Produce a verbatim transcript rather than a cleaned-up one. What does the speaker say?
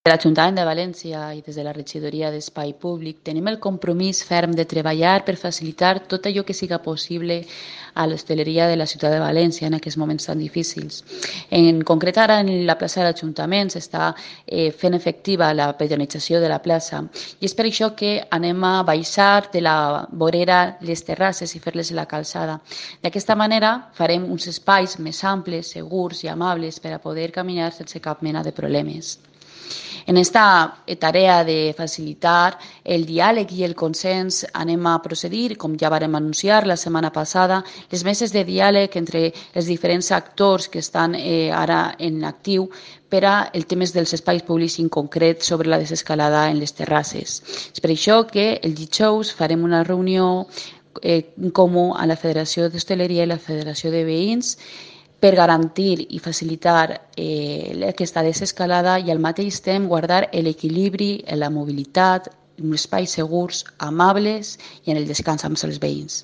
De l'Ajuntament de València i des de la Regidoria d'Espai Públic tenim el compromís ferm de treballar per facilitar tot allò que siga possible a l'hostaleria de la ciutat de València en aquests moments tan difícils. En concret, ara en la plaça de l'Ajuntament s'està eh, fent efectiva la pedonització de la plaça i és per això que anem a baixar de la vorera les terrasses i fer-les la calçada. D'aquesta manera farem uns espais més amples, segurs i amables per a poder caminar sense cap mena de problemes. En esta tarea de facilitar el diàleg i el consens anem a procedir, com ja vàrem anunciar la setmana passada, les meses de diàleg entre els diferents actors que estan eh, ara en actiu per a el temes dels espais públics en concret sobre la desescalada en les terrasses. És per això que el dijous farem una reunió eh, comú a la Federació d'Hostaleria i la Federació de Veïns per garantir i facilitar eh, aquesta desescalada i al mateix temps guardar l'equilibri en la mobilitat, en espais segurs, amables i en el descans amb els veïns.